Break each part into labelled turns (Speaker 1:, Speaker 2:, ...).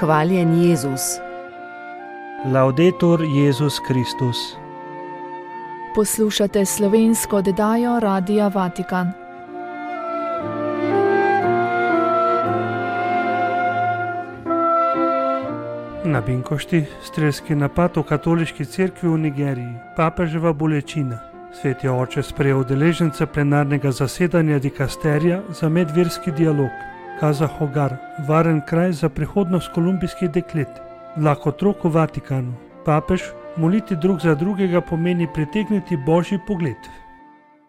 Speaker 1: Hvaljen Jezus.
Speaker 2: Laudetur Jezus Kristus.
Speaker 3: Poslušate slovensko oddajo Radia Vatikan.
Speaker 2: Na Binkošti strelski napad v katoliški cerkvi v Nigeriji, papeževa bolečina. Sveti oče sprejel udeležence plenarnega zasedanja dikasterija za medverski dialog. Kaza Hogar, varen kraj za prihodnost kolumbijskih deklet. Vlak otrok v Vatikanu. Papež, moliti drug za drugega pomeni pritegniti božji pogled.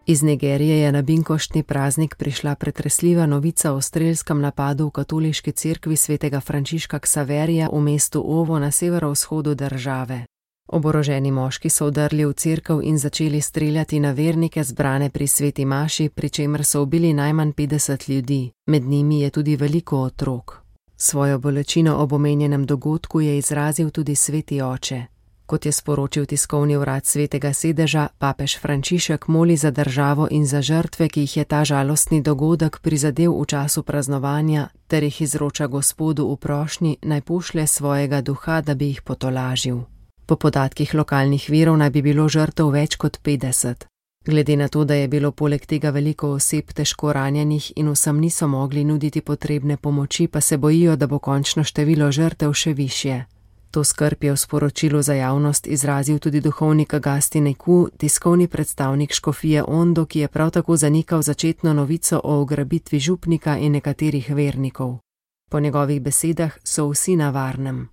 Speaker 1: Iz Nigerije je na binkoštni praznik prišla pretresljiva novica o strelskem napadu v katoliški cerkvi svetega Frančiška Ksaverija v mestu Ovo na severovzhodu države. Oboroženi moški so vdrli v cerkev in začeli streljati na vernike zbrane pri sveti maši, pri čemer so ubili najmanj 50 ljudi, med njimi je tudi veliko otrok. Svojo bolečino ob omenjenem dogodku je izrazil tudi sveti oče. Kot je sporočil tiskovni urad Svetega sedeža, papež Frančišek moli za državo in za žrtve, ki jih je ta žalostni dogodek prizadel v času praznovanja, ter jih izroča Gospodu v prošnji, naj pošlje svojega duha, da bi jih potolažil. Po podatkih lokalnih virov naj bi bilo žrtev več kot 50. Glede na to, da je bilo poleg tega veliko oseb težko ranjenih in vsem niso mogli nuditi potrebne pomoči, pa se bojijo, da bo končno število žrtev še višje. To skrb je v sporočilu za javnost izrazil tudi duhovnik Agustin Eku, tiskovni predstavnik škofije Ondo, ki je prav tako zanikal začetno novico o ugrabitvi župnika in nekaterih vernikov. Po njegovih besedah so vsi na varnem.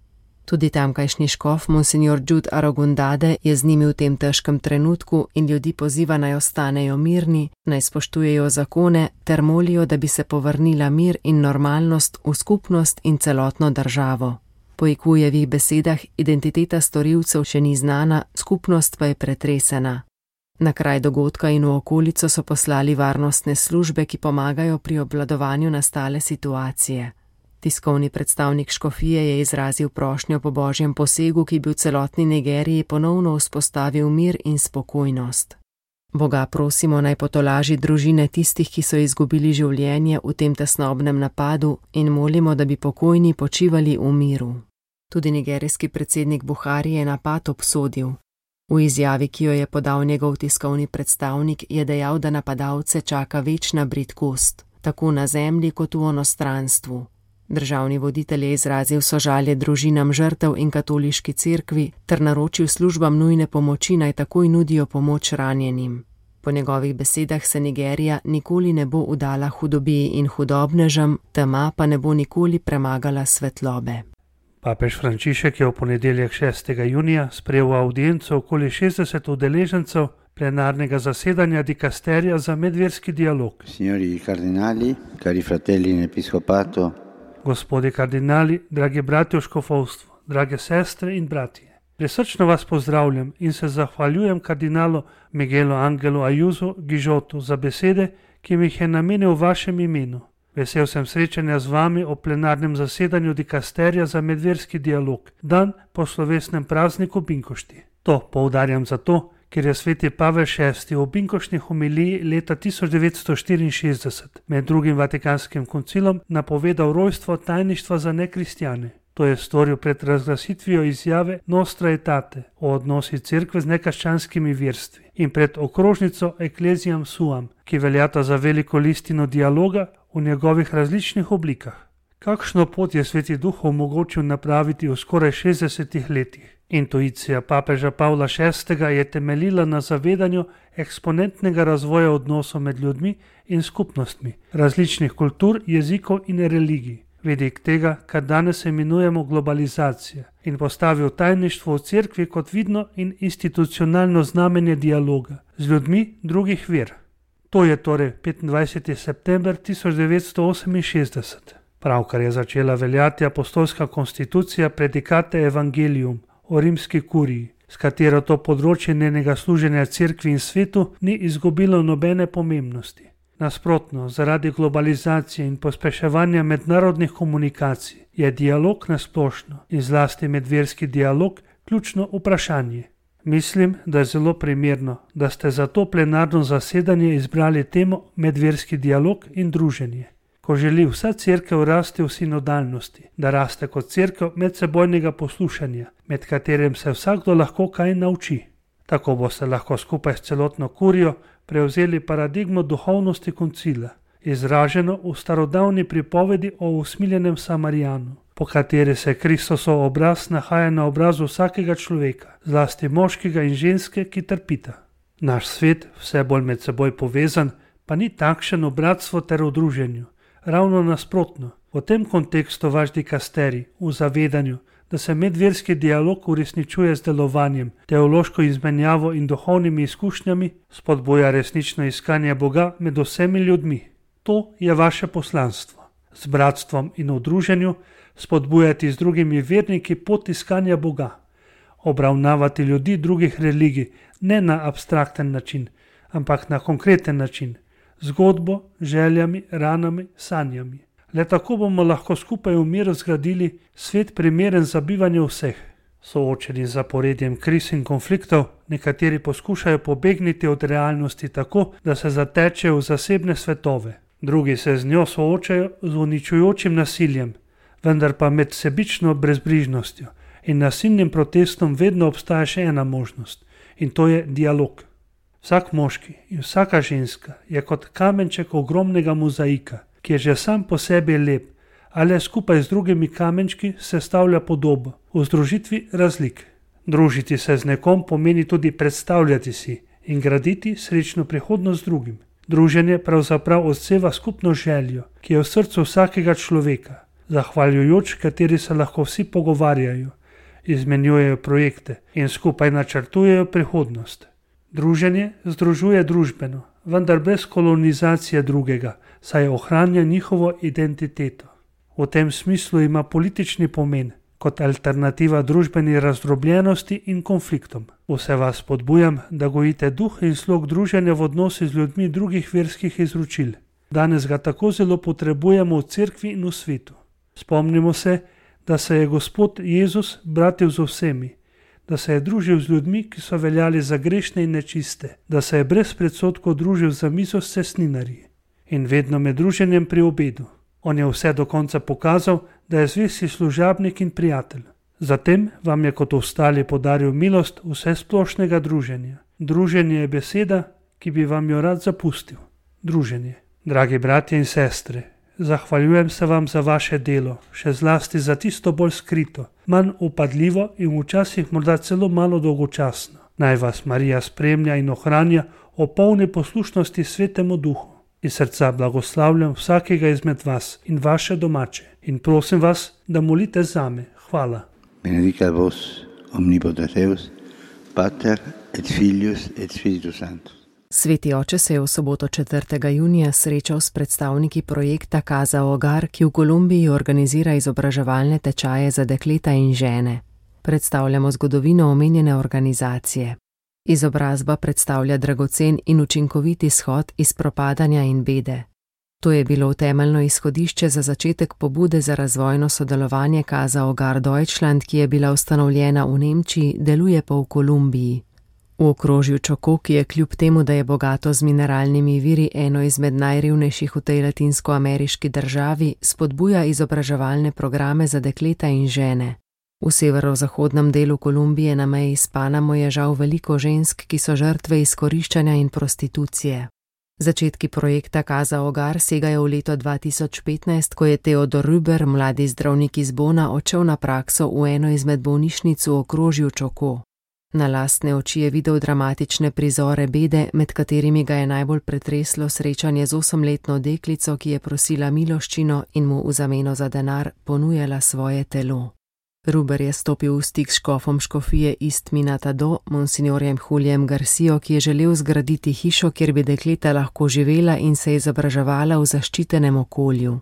Speaker 1: Tudi tamkajšnji škof, monsignor Jude Arogundade, je z njimi v tem težkem trenutku in ljudi poziva naj ostanejo mirni, naj spoštujejo zakone ter molijo, da bi se povrnila mir in normalnost v skupnost in celotno državo. Po Ekujevih besedah identiteta storilcev še ni znana, skupnost pa je pretresena. Na kraj dogodka in v okolico so poslali varnostne službe, ki pomagajo pri obvladovanju nastale situacije. Tiskovni predstavnik škofije je izrazil prošnjo po božjem posegu, ki bi v celotni Nigeriji ponovno vzpostavil mir in spokojnost. Boga prosimo naj potolaži družine tistih, ki so izgubili življenje v tem tesnobnem napadu in molimo, da bi pokojni počivali v miru. Tudi nigerijski predsednik Buhari je napad obsodil. V izjavi, ki jo je podal njegov tiskovni predstavnik, je dejal, da napadalce čaka večna bridkost, tako na zemlji kot v onostranstvu. Državni voditelj je izrazil sožalje družinam žrtev in katoliški cerkvi ter naročil službam nujne pomoči naj takoj nudijo pomoč ranjenim. Po njegovih besedah se Nigerija nikoli ne bo udala hudobiji in hudobnežem, tema pa ne bo nikoli premagala svetlobe.
Speaker 2: Papež Frančišek je v ponedeljek 6. junija sprejel v audienco okoli 60 udeležencev plenarnega zasedanja dikasterija za medverski dialog.
Speaker 4: Signori kardinali, cari fratelli in episkopato,
Speaker 2: Gospodi kardinali, dragi bratje v škofovstvu, drage sestre in bratje. Prisrčno vas pozdravljam in se zahvaljujem kardinalu Miguelu Angelu Ayuso Gižotu za besede, ki mi jih je namenil v vašem imenu. Vesel sem srečanja z vami o plenarnem zasedanju dikasterija za medverski dialog, dan po slovesnem prazniku Binkošti. To poudarjam zato, ker je sveti Pavel VI v binkoštni homiliji leta 1964 med drugim Vatikanskim koncilom napovedal rojstvo tajništva za nekristjane. To je storil pred razglasitvijo izjave Nostra Aetate o odnosi cerkve z nekrščanskimi verstvi in pred okrožnico Ecclesiam Suam, ki veljata za veliko listino dialoga v njegovih različnih oblikah. Kakšno pot je sveti duh omogočil napraviti v skoraj 60 letih? Intuicija papeža Pavla VI je temeljila na zavedanju eksponentnega razvoja odnosov med ljudmi in skupnostmi, različnih kultur, jezikov in religij, vidik tega, kar danes imenujemo globalizacija, in postavil tajništvo v cerkvi kot vidno in institucionalno znamenje dialoga z ljudmi drugih ver. To je torej 25. september 1968. Pravkar je začela veljati apostolska konstitucija Predicate Evangelium o rimski kuriji, s katero to področje njenega služenja cerkvi in svetu ni izgubilo nobene pomembnosti. Nasprotno, zaradi globalizacije in pospeševanja mednarodnih komunikacij je dialog nasplošno in zlasti medverski dialog ključno vprašanje. Mislim, da je zelo primerno, da ste za to plenarno zasedanje izbrali temo medverski dialog in druženje. ko želi vsa cerkev rasti v sinodalnosti, da raste kot cerkev medsebojnega poslušanja, med katerim se vsakdo lahko kaj nauči. Tako boste lahko skupaj s celotno kurijo prevzeli paradigmo duhovnosti koncila, izraženo v starodavni pripovedi o usmiljenem Samarijanu, po kateri se Kristosov obraz nahaja na obrazu vsakega človeka, zlasti moškega in ženske, ki trpita. Naš svet, vse bolj med seboj povezan, pa ni takšen v bratstvu ter v druženju. Ravno nasprotno, v tem kontekstu vaš dikasterij, v zavedanju, da se medverski dialog uresničuje z delovanjem, teološko izmenjavo in duhovnimi izkušnjami, spodbuja resnično iskanje Boga med vsemi ljudmi. To je vaše poslanstvo. Z bratstvom in v druženju spodbujati z drugimi verniki pot iskanja Boga. Obravnavati ljudi drugih religij ne na abstrakten način, ampak na konkreten način, zgodbo, željami, ranami, sanjami. Le tako bomo lahko skupaj v miru zgradili svet primeren za bivanje vseh. Soočeni z zaporedjem kriz in konfliktov, nekateri poskušajo pobegniti od realnosti tako, da se zatečejo v zasebne svetove. Drugi se z njo soočajo z uničujočim nasiljem, vendar pa med sebično brezbrižnostjo in nasilnim protestom vedno obstaja še ena možnost, in to je dialog. Vsak moški in vsaka ženska je kot kamenček ogromnega mozaika, ki je že sam po sebi lep, ali skupaj z drugimi kamenčki sestavlja podobo v združitvi razlik. Družiti se z nekom pomeni tudi predstavljati si in graditi srečno prihodnost z drugim. Druženje pravzaprav odseva skupno željo, ki je v srcu vsakega človeka, zahvaljujoč kateri se lahko vsi pogovarjajo, izmenjujejo projekte in skupaj načrtujejo prihodnost. Druženje združuje družbeno, vendar brez kolonizacije drugega, saj ohranja njihovo identiteto. V tem smislu ima politični pomen kot alternativa družbeni razdrobljenosti in konfliktom. Vse vas spodbujam, da gojite duh in slog druženja v odnosi z ljudmi drugih verskih izročil. Danes ga tako zelo potrebujemo v cerkvi in v svetu. Spomnimo se, da se je Gospod Jezus bratil z vsemi, da se je družil z ljudmi, ki so veljali za grešne in nečiste, da se je brez predsodkov družil za mizo s cestninarji in vedno med druženjem pri obedu. On je vse do konca pokazal, da je zvesti služabnik in prijatelj. Zatem vam je kot ostali podaril milost vsesplošnega druženja. Druženje je beseda, ki bi vam jo rad zapustil. Druženje. Dragi bratje in sestre, zahvaljujem se vam za vaše delo, še zlasti za tisto bolj skrito, manj upadljivo in včasih morda celo malo dolgočasno. Naj vas Marija spremlja in ohranja o polni poslušnosti Svetemu Duhu. Iz srca blagoslavljam vsakega izmed vas in vaše domače in prosim vas, da molite zame. Hvala.
Speaker 4: Benedicat vos omnipotens Deus, Pater et Filius et Spiritus Sanctus.
Speaker 1: Sveti oče se je v soboto 4. junija srečal s predstavniki projekta Casa Hogar, ki v Kolumbiji organizira izobraževalne tečaje za dekleta in žene. Predstavljamo zgodovino omenjene organizacije. Izobrazba predstavlja dragocen in učinkovit izhod iz propadanja in bede. To je bilo temeljno izhodišče za začetek pobude za razvojno sodelovanje Casa Hogar Deutschland, ki je bila ustanovljena v Nemčiji, deluje pa v Kolumbiji. V okrožju Čoko, ki je kljub temu, da je bogato z mineralnimi viri eno izmed najrevnejših v tej latinskoameriški državi, spodbuja izobraževalne programe za dekleta in žene. V severozahodnem delu Kolumbije na meji s Panamo je žal veliko žensk, ki so žrtve izkoriščanja in prostitucije. Začetki projekta Casa Hogar segajo v leto 2015, ko je Theodor Rüber, mladi zdravnik iz Bona, odšel na prakso v eno izmed bolnišnic v okrožju Čoko. Na lastne oči je videl dramatične prizore bede, med katerimi ga je najbolj pretreslo srečanje z 8-letno deklico, ki je prosila miloščino in mu v zameno za denar ponujala svoje telo. Rüber je stopil v stik s škofom škofije East Minatado, monsignorjem Julijem Garcijo, ki je želel zgraditi hišo, kjer bi dekleta lahko živela in se izobraževala v zaščitenem okolju.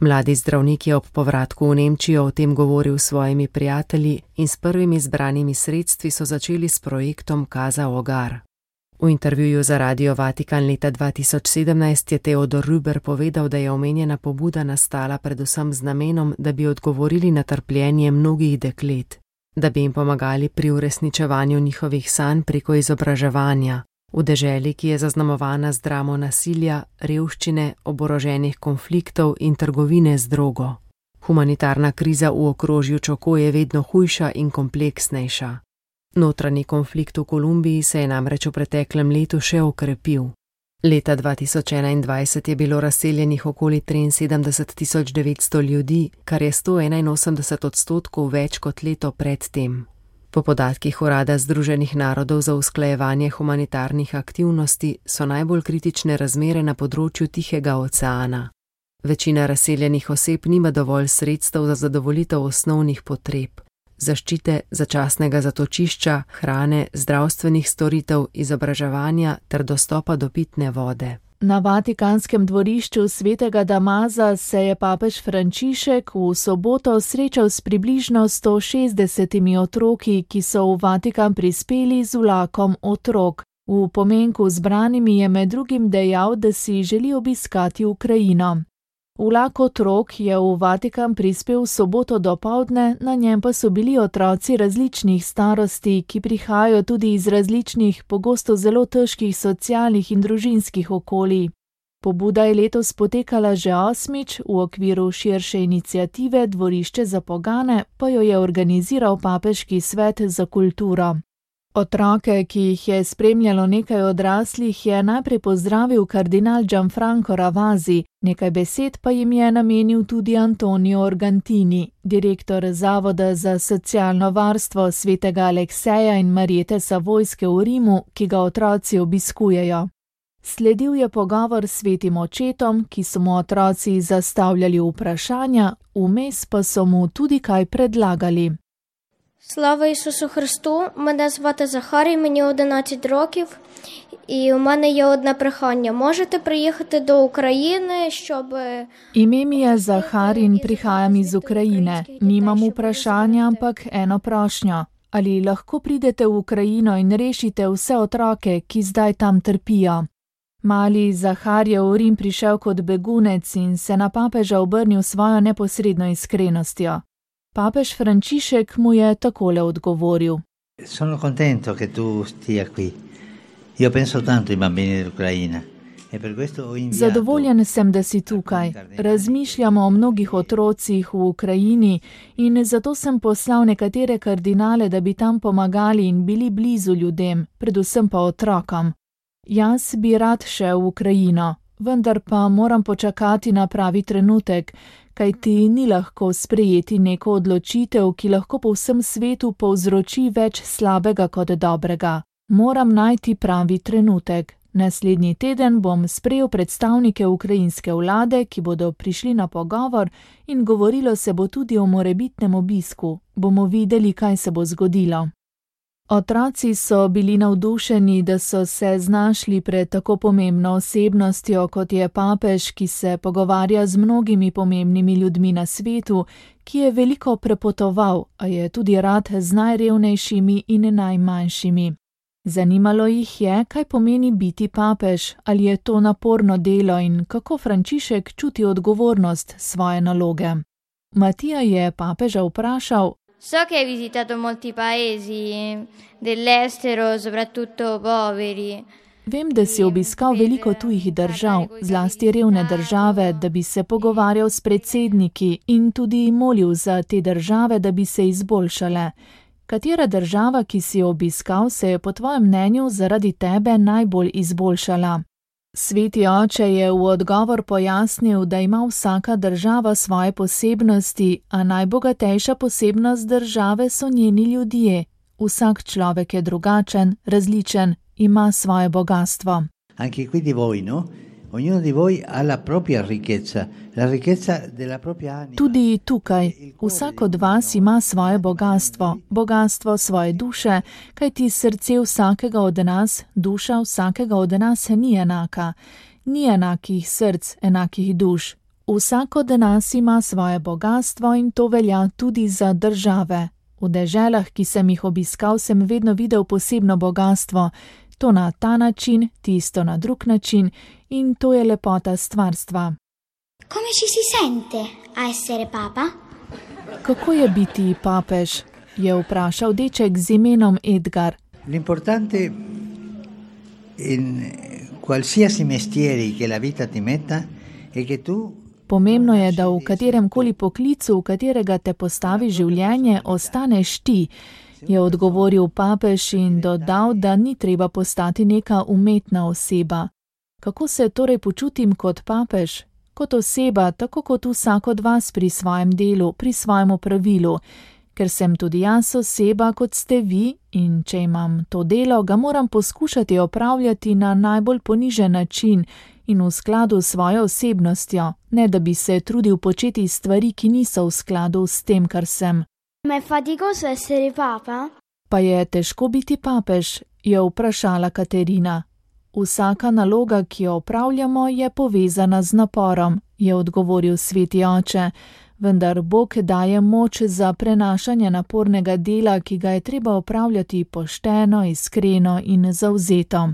Speaker 1: Mladi zdravnik je ob povratku v Nemčijo o tem govoril s svojimi prijatelji in s prvimi zbranimi sredstvi so začeli s projektom Casa Hogar. V intervjuju za Radio Vatikan leta 2017 je Theodor Rüber povedal, da je omenjena pobuda nastala predvsem z namenom, da bi odgovorili na trpljenje mnogih deklet, da bi jim pomagali pri uresničevanju njihovih sanj preko izobraževanja, V deželi, ki je zaznamovana z dramo nasilja, revščine, oboroženih konfliktov in trgovine z drogo. Humanitarna kriza v okrožju Čoko je vedno hujša in kompleksnejša. Notranji konflikt v Kolumbiji se je namreč v preteklem letu še okrepil. Leta 2021 je bilo razseljenih okoli 73.900 ljudi, kar je 181% več kot leto predtem. Po podatkih Urada Združenih narodov za usklajevanje humanitarnih aktivnosti so najbolj kritične razmere na področju Tihega oceana. Večina razseljenih oseb nima dovolj sredstev za zadovoljitev osnovnih potreb, zaščite, začasnega zatočišča, hrane, zdravstvenih storitev, izobraževanja ter dostopa do pitne vode.
Speaker 3: Na Vatikanskem dvorišču svetega Damaza se je papež Frančišek v soboto srečal s približno 160 otroki, ki so v Vatikan prispeli z vlakom otrok. V pomenku zbranimi je med drugim dejal, da si želi obiskati Ukrajino. Vlak otrok je v Vatikan prispel v soboto dopoldne, na njem pa so bili otroci različnih starosti, ki prihajajo tudi iz različnih, pogosto zelo težkih socialnih in družinskih okolij. Pobuda je letos potekala že 8. v okviru širše iniciative Dvorišče za pogane, pa jo je organiziral Papežki svet za kulturo. Otroke, ki jih je spremljalo nekaj odraslih, je najprej pozdravil kardinal Gianfranco Ravasi, nekaj besed pa jim je namenil tudi Antonio Organtini, direktor Zavoda za socialno varstvo svetega Alekseja in Marjete Savojske v Rimu, ki ga otroci obiskujejo. Sledil je pogovor s svetim očetom, ki so mu otroci zastavljali vprašanja, vmes pa so mu tudi kaj predlagali.
Speaker 5: Слава Ісусу Христу! Мене звати Захарій, мені 11 років, і у мене є одне прохання. Можете приїхати до України, щоб...
Speaker 3: Ime mi je Zahar in prihajam iz Ukrajine. Nimam vprašanja, ampak eno prošnjo. Ali lahko pridete v Ukrajino in rešite vse otroke, ki zdaj tam trpijo? Mali Zahar je v Rim prišel kot begunec in se na papeža obrnil svojo neposredno iskrenostjo. Papež Frančišek mu je takole odgovoril.
Speaker 4: Sono contento che tu stia qui. Io penso tanto ai bambini dell'Ucraina.
Speaker 3: Zadovoljen sem, da si tukaj. Razmišljamo o mnogih otrocih v Ukrajini in zato sem poslal nekatere kardinale, da bi tam pomagali in bili blizu ljudem, predvsem pa otrokom. Jaz bi rad šel v Ukrajino, vendar pa moram počakati na pravi trenutek, kajti ni lahko sprejeti neko odločitev, ki lahko po vsem svetu povzroči več slabega kot dobrega. Moram najti pravi trenutek. Naslednji teden bom sprejel predstavnike ukrajinske vlade, ki bodo prišli na pogovor in govorilo se bo tudi o morebitnem obisku. Bomo videli, kaj se bo zgodilo. Otroci so bili navdušeni, da so se znašli pred tako pomembno osebnostjo, kot je papež, ki se pogovarja z mnogimi pomembnimi ljudmi na svetu, ki je veliko prepotoval, a je tudi rad z najrevnejšimi in najmanjšimi. Zanimalo jih je, kaj pomeni biti papež, ali je to naporno delo in kako Frančišek čuti odgovornost svoje naloge. Matija je papeža vprašal:
Speaker 5: So che hai visitato molti paesi dell'estero, soprattutto poveri.
Speaker 3: Vem, da si obiskal veliko tujih držav, zlasti revne države, da bi se pogovarjal s predsedniki in tudi molil za te države, da bi se izboljšale. Katera država, ki si jo obiskal, se je po tvojem mnenju zaradi tebe najbolj izboljšala? Sveti oče je v odgovor pojasnil, da ima vsaka država svoje posebnosti, a najbogatejša posebnost države so njeni ljudje. Vsak človek je drugačen, različen, ima svoje bogastvo.
Speaker 4: Anche qui di voi, no? Ognuno di voi ha la propria ricchezza, la ricchezza della propria anima.
Speaker 3: Tudi tukaj, vsak od vas ima svoje bogastvo, bogastvo svoje duše, kajti srce vsakega od nas, duša vsakega od nas ni enaka. Ni enakih src, enakih duš. Vsak od nas ima svoje bogastvo in to velja tudi za države. V deželah, ki sem jih obiskal, sem vedno videl posebno bogastvo. To na ta način, tisto na drug način in to je lepota stvarstva.
Speaker 5: Come ci si sente a essere papa?
Speaker 3: Kako je biti papež? Je vprašal deček z imenom Edgar.
Speaker 4: L'importante in qualsiasi mestiere che la vita ti metta e che tu.
Speaker 3: Pomembno je, da v katerem koli poklicu, v katerega te postavi življenje, ostaneš ti, je odgovoril papež in dodal, da ni treba postati neka umetna oseba. Kako se torej počutim kot papež? Kot oseba, tako kot vsak od vas pri svojem delu, pri svojem opravilu. Ker sem tudi jaz oseba, kot ste vi, in če imam to delo, ga moram poskušati opravljati na najbolj ponižen način in v skladu s svojo osebnostjo, ne da bi se trudil početi stvari, ki niso v skladu s tem, kar sem.
Speaker 6: Ma è faticoso essere papa?
Speaker 3: Pa je težko biti papež, je vprašala Katerina. Vsaka naloga, ki jo opravljamo, je povezana z naporom, je odgovoril sveti oče, vendar Bog daje moč za prenašanje napornega dela, ki ga je treba opravljati pošteno, iskreno in zavzeto.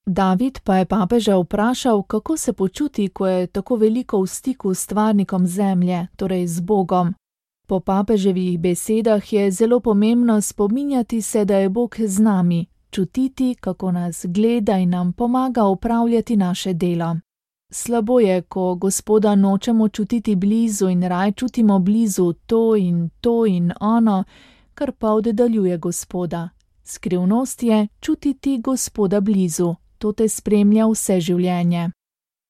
Speaker 3: David pa je papeža vprašal, kako se počuti, ko je tako veliko v stiku s stvarnikom zemlje, torej z Bogom. Po papeževih besedah je zelo pomembno spominjati se, da je Bog z nami, čutiti, kako nas gleda in nam pomaga upravljati naše delo. Slabo je, ko Gospoda nočemo čutiti blizu in raj čutimo blizu to in ono, kar pa oddaljuje Gospoda. Skrivnost je čutiti Gospoda blizu, to te spremlja vse življenje.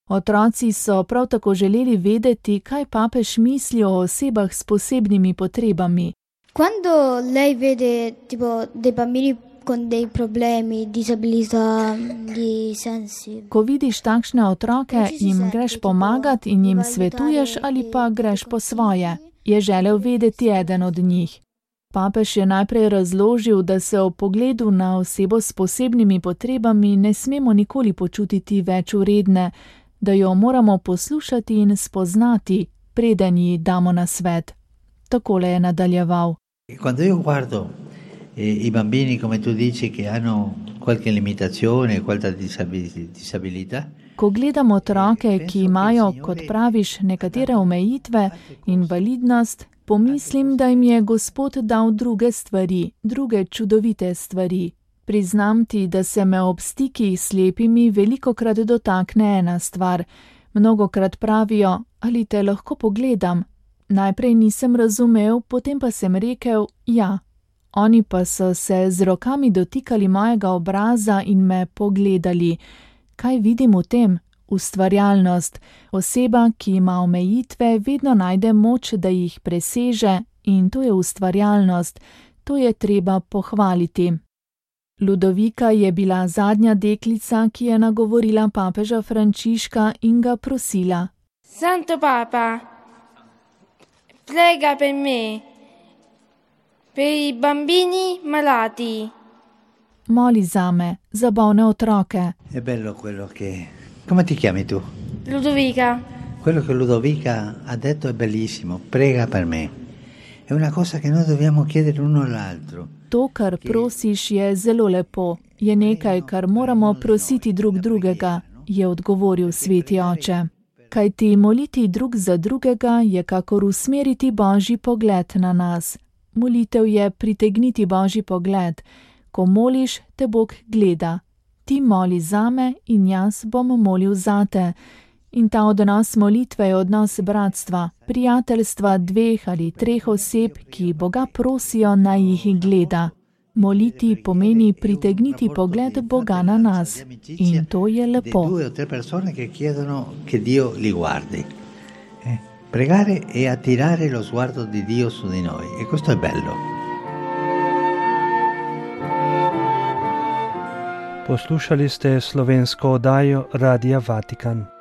Speaker 3: Otroci so prav tako želeli vedeti, kaj papež misli o osebah s posebnimi potrebami.
Speaker 6: Quando lei vede tipo dei bambini con dei problemi, disabilità, di sensi.
Speaker 3: Ko vidiš takšne otroke, jim greš pomagat in jim svetuješ ali pa greš po svoje, je želel vedeti eden od njih. Papež je najprej razložil, da se ob pogledu na osebo s posebnimi potrebami ne smemo nikoli počutiti več vredne, da jo moramo poslušati in spoznati, preden ji damo nasvet. Takole je nadaljeval.
Speaker 4: Quando io guardo i bambini, come tu dici, che hanno qualche limitazione, qualche disabilità.
Speaker 3: Ko gledam otroke, ki imajo, kot praviš, nekatere omejitve, invalidnost, pomislim, da jim je Gospod dal druge stvari, druge čudovite stvari. Priznam ti, da se me ob stikih s slepimi velikokrat dotakne ena stvar. Mnogokrat pravijo, ali te lahko pogledam. Najprej nisem razumel, potem pa sem rekel, ja. Oni pa so se z rokami dotikali mojega obraza in me pogledali. Kaj vidim v tem? Ustvarjalnost. Oseba, ki ima omejitve, vedno najde moč, da jih preseže, in to je ustvarjalnost. To je treba pohvaliti. Ludovika je bila zadnja deklica, ki je nagovorila papeža Frančiška in ga prosila.
Speaker 7: Santo Papa, prega per me, per i bambini malati.
Speaker 3: Moli zame, za bolne otroke.
Speaker 4: È bello quello che... Come ti chiami tu?
Speaker 7: Ludovica.
Speaker 4: Quello che Ludovica ha detto è bellissimo, prega per me. È una cosa che noi dobbiamo chiedere uno all'altro.
Speaker 3: To, kar prosiš, je zelo lepo. Je nekaj, kar moramo prositi drug drugega, je odgovoril sveti oče. Kajti moliti drug za drugega je kakor usmeriti Božji pogled na nas. Molitev je pritegniti Božji pogled. Ko moliš, te Bog gleda. Ti moli zame in jaz bom molil zate. In ta odnos molitve je odnos bratstva, prijateljstva 2 ali 3 oseb, ki Boga prosijo, naj jih gleda. Moliti pomeni pritegniti pogled Boga na nas. In to je lepo.
Speaker 4: 2 o 3 persone che chiedono che Dio li guardi. Pregare e attirare lo sguardo di Dio su di noi. E questo è bello.
Speaker 2: Poslušali ste slovensko oddajo Radia Vatikan.